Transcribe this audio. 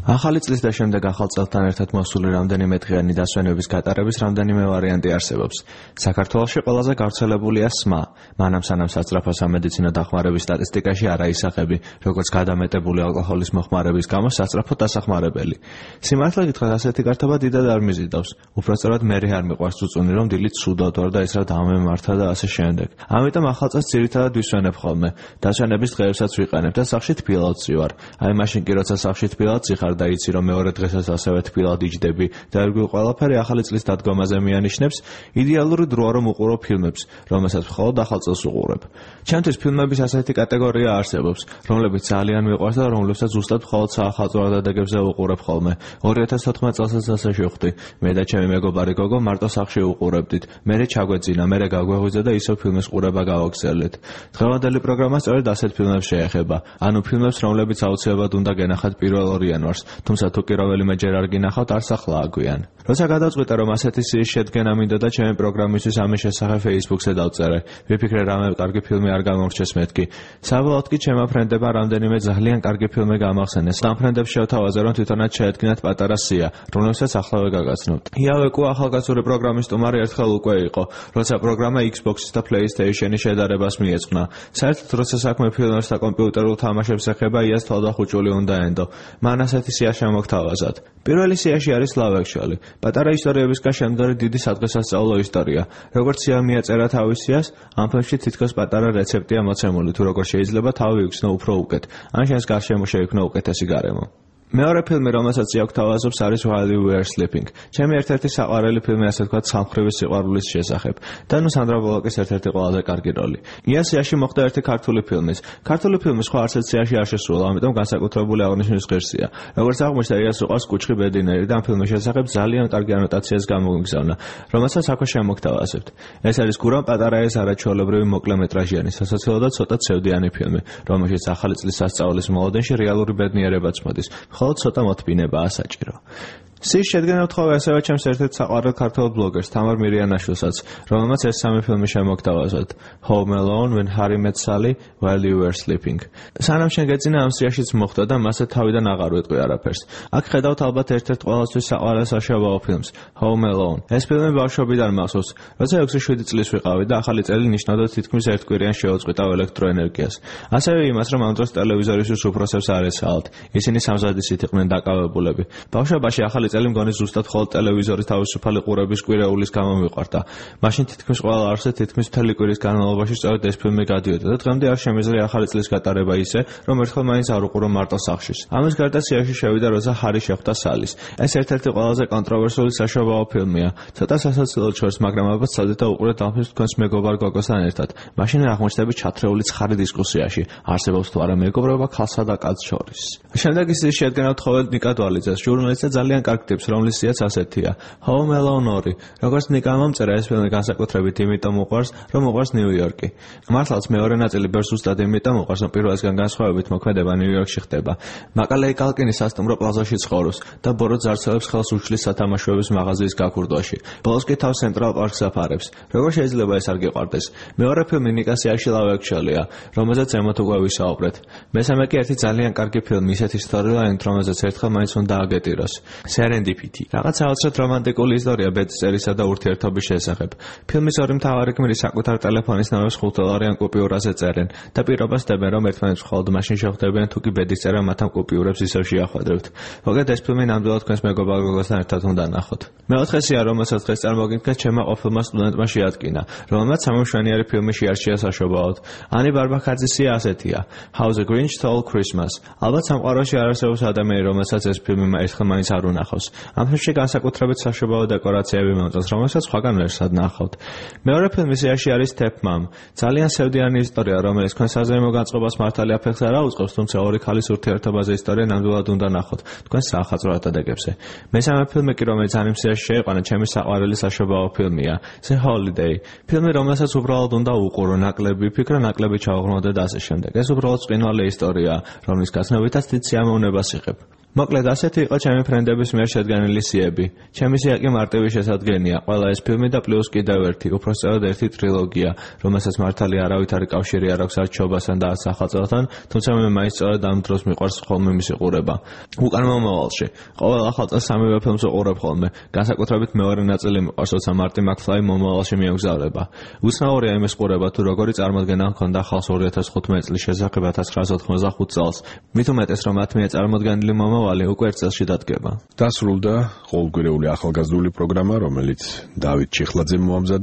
ახალი წლის და შემდეგ ახალ წელთან ერთად მოსული რამდენიმე დღიანი დასვენების გატარების რამდენიმე ვარიანტი არსებობს. საქართველოში ყველაზე გავრცელებულია SMA, მანამ სანამ სასწრაფო სამედიცინო დახმარების სტატისტიკაში არ აისახები, როგორც გადამეტებული ალკოჰოლის მოხმარების გამო სასწრაფო დასახმარებელი. სიმართლე გითხრათ, ასეთი გართობა დიდად არ მიზიდავს. უпроსწორად მერე არ მიყვარს წუწუნი, რომ დილით ცუდად ვარ და ის რა დამემართა და ასე შემდეგ. ამიტომ ახალ წელს ძირითადად ვისვენებ ხოლმე. დასვენების დღეებსაც ვიყენებ და სახლში თბილავთ ვარ. აი მაშინ კი როცა სახლში თბილავთ ვარ და იცი რომ მეორე დღესაც ასევე თბილად იჯდები და ერგვილ ყველაფერი ახალი წლის დადგომაზე მიანიშნებს, იდეალური დროა რომ უყურო ფილმებს, რომელსაც მხოლოდ ახალ წელს უყურებ. ჩემთვის ფილმების ასეთი კატეგორია არსებობს, რომლებიც ძალიან მიყვარს და რომლებსაც ზუსტად მხოლოდ საახალწლო დადებებზე უყურებ ხოლმე. 2014 წელსაც ასე შევხვდი. მე და ჩემი მეგობარი გოგო მარტო სახლში უყურებდით. მერე ჩაგვეძინა, მერე გაგვეღვიძა და ისევ ფილმის ყურება გავაგრძელეთ. დღევანდელი პროგრამა სწორედ ასეთ ფილმებს შეეხება. ანუ ფილმებს, რომლებიც აუცილებლად უნდა გენახათ 1 იანვარს. თუმცა თუ კი რომელიმე ჯერ არ გინახავთ, არც ახლა აგვიან. როცა გადავწყვიტე რომ ასეთი სიის შედგენა მინდოდა ჩემი პროგრამისთვის ამის შესახებ Facebook-ზე დავწერე. ვიფიქრე რამე კარგი ფილმი არ გამორჩეს მეთქი. საბოლოოდ კი ჩემმა ფრენდებმა რამდენიმე ძალიან კარგი ფილმი გამახსენეს. ამ ფრენდებს შევთავაზე რომ თვითონაც შეედგინათ პატარა სია, რომელსაც ახლავე გაგაცნობთ. იავეკუ ახალგაზრდული პროგრამის სტუმარი ერთხელ უკვე იყო, როცა პროგრამა Xbox-ის და PlayStation-ის შედარებას მიეძღვნა. საერთოდ როცა საქმე ფილმებს და კომპიუტერულ თამაშებს ეხება, იას თვალდახუჭული უნდა ენდო. მან ასეთი სია შემოგთავაზად. პირველი სიაში არის Love Actually. პატარა ისტორიებისგან შემდგარი დიდი სადღესასწაულო ისტორია. როგორც სია მიაწერა თავის სიას, ამ ფილმში თითქოს პატარა რეცეპტია მოცემული, თუ როგორ შეიძლება თავი ვიგრძნო უფრო უკეთ, ან შენს გარშემო შეიქმნო უკეთესი გარემო. მეორე ფილმი, რომელსაც იაგთავაზობს, არის While You Were Sleeping. ჩემი ერთ-ერთი საყვარელი ფილმი, ასე ვთქვათ, სამხრივი სიყვარულის შესახებ. და ნუ სანდრა ბულოკის ერთ-ერთი ყველაზე კარგი როლი. სიაში მოხდა ერთი ქართული ფილმის. ქართული ფილმი სხვა არცერთ სიაში არ შესრულა, ამიტომ განსაკუთრებული აღნიშვნის ღირსია. როგორც აღმოჩნდა, იას უყვარს კუჩხი ბედინერი და ამ ფილმის შესახებ ძალიან კარგი ანოტაციას გამოგიგზავნა, რომელსაც აქვე შემოგთავაზებთ. ეს არის გურამ პატარაეს არაჩვეულებრივი მოკლემეტრაჟიანი, სასაცილო და ცოტა ცევდიანი ფილმი, რომელშიც ახალი წლის სასწაულის მოლოდინში რეალური ბედნიერებაც მოდის. მხოლოდ ცოტა მოთმინებაა საჭირო. სიის შედგენა ვთხოვე ასევე ჩემს ერთ-ერთ საყვარელ ქართველ ბლოგერს თამარ მირიანაშვილსაც, რომელმაც ეს სამი ფილმი შემოგთავაზოთ. Home Alone, When Harry Met Sally, While You Were Sleeping. სანამ შენ გეძინა ამ სიაშიც მოხდა და მასე თავიდან აღარ ვიტყვი არაფერს. აქ ხედავთ ალბათ ერთ-ერთ ყველასთვის საყვარელ საშობაო ფილმს, Home Alone. ეს ფილმი ბავშვობიდან მახსოვს, როცა 6-7 წლის ვიყავი და ახალი წელი ნიშნავდა თითქმის ერთკვირიან შეუწყვითავ ელექტროენერგიას. ასევე იმას, რომ ამ დროს ტელევიზორისთვის უფროსებს არ ეცალათ. ისინი სამზადისით იყვნენ დაკავებულები. ბავშვობაში ახალი წელი მგონი ზუსტად მხოლოდ ტელევიზორის თავისუფალი ყურების კვირეულის გამო მიყვარდა. მაშინ თითქმის ყველა არსზე თითქმის მთელი კვირის განმავლობაში სწორედ ეს ფილმი გადიოდა და დღემდე არ შემიძლია ახალი წლის გატარება ისე, რომ ერთხელ მაინც არ უყურო მარტო სახლში. ამის გარდა სიაში შევიდა, როცა ჰარი შეხვდა სალის. ეს ერთ-ერთი ყველაზე კონტროვერსიული საშობაო ფილმია. ცოტა სასაცილოდ შორს, მაგრამ ალბათ სადეთ და უყურეთ ამ ფილმს თქვენს მეგობარ გოგოსთან ერთად. მაშინ აღმოჩნდები ჩათრეული ცხარი დისკუსიაში. არსებობს თუ არა მეგობრობა ქალსა და კაცს შორის. შემდეგი სიის შედგენა ვთხოვეთ ნიკა დვალიძეს, ჟურნალისტი და ძალიან კარგი ტიპს, რომლის სიაც ასეთია. Home Alone 2. როგორც ნიკა მომწერა, ეს ფილმი განსაკუთრებით იმიტომ უყვარს, რომ უყვარს ნიუ-იორკი. მართლაც მეორე ნაწილი ბერს ზუსტად იმიტომ უყვარს, რომ პირველისგან განსხვავებით მოქმედება ნიუ-იორკში ხდება. მაკალეი კალკინი სასტუმრო პლაზაში ცხოვრობს და ბოროტ ზარცელებს ხელს უშლის სათამაშოების მაღაზიის გაქურდვაში. ბოლოს კი თავს ცენტრალ პარკს აფარებს. როგორ შეიძლება ეს არ გიყვარდეს? მეორე ფილმი ნიკას სიაში Love Actually-ა, რომელზეც ზემოთ უკვე ვისაუბრეთ. მესამე კი ერთი ძალიან კარგი ფილმი, ისეთი სტორილაინით, რომელზეც ერთხელ მაინც უნდა აგეტიროს. Serendipity. რაღაც საოცრად რომანტიკული ისტორია ბედწერისა და ურთიერთობის შესახებ. ფილმის ორი მთავარი გმირი საკუთარ ტელეფონის ნომერს $5 კუპიურაზე წერენ და პირობას დებენ, რომ ერთმანეთს მხოლოდ მაშინ შეხვდებიან, თუ კი ბედის წერა მათ ამ კუპიურებს ისევ შეახვედრებთ. მოგეთ ეს ფილმი ნამდვილად თქვენს მეგობარ გოგოსთან ერთად უნდა ნახოთ. მეოთხე სია, რომელსაც დღეს წარმოგიდგენთ, ჩემმა ყოფილმა სტუდენტმა შეადგინა, რომელმაც სამშვენიერი ფილმი შეარჩია საშობაოდ. ანი ბარბაქაძის სია ასეთია. How the Grinch Stole Christmas. ალბათ სამყაროში არ არსებობს ადამიანი, რომელსაც ეს ფილმი ერთხელ მაინც არ უნახავს. ამ ფილმში განსაკუთრებით საშობაო დეკორაციები მომწონს, რომელსაც სხვაგან ვერსად ნახავთ. მეორე ფილმი სიაში არის Step Mom. ძალიან სევდიანი ისტორია, რომელიც თქვენ საზეიმო განწყობას მართალი აფეთქს არ აუწყობს, თუმცა ორი ქალის ურთიერთობაზე ისტორია ნამდვილად უნდა ნახოთ თქვენ საახალწლო დადებებზე. მესამე ფილმი კი, რომელიც ამ სიაში შეიყვანა, ჩემი საყვარელი საშობაო ფილმია, The Holiday. ფილმი, რომელსაც უბრალოდ უნდა უყურო, ნაკლები ფიქრა, ნაკლები ჩავღრმავდე და ასე შემდეგ. ეს უბრალოდ წყინვალე ისტორია, რომლის გაცნობითაც დიდ სიამოვნებას იღებ. მოკლედ ასეთი იყო ჩემი ფრენდების მიერ შედგენილი სიები. ჩემი სია კი მარტივი შესადგენია. ყველა ეს ფილმი და პლუს კიდევ ერთი, უпроსწორად ერთი ტრილოგია, რომელსაც მართალი არავითარი კავშირი არ აქვს არჩეობასთან და სახელწოდასთან, თუმცა მე მაინც სწორედ ამ დროს მიყვარს ხოლმე მისი ყურება. უკან მომავალში, ყოველ ახალ წელს სამივე ფილმს ვუყურებ ხოლმე. განსაკუთრებით მეორე ნაწილი მიყვარს, როცა მარტი მაკფლაი მომავალში მიემგზავრება. უცნაურია იმის ყურება, თუ როგორი წარმოდგენა ჰქონდა ხალხს 2015 წლის შესახებ 1995 წელს. მით უმეტეს, რომ მათ მიერ წარმოდგენილი მომავალი უკვე ერთ წელში დადგება. დასრულდა ყოველკვირეული ახალგაზრდული პროგრამა, რომელიც დავით ჩიხლაძემ მოამზადა.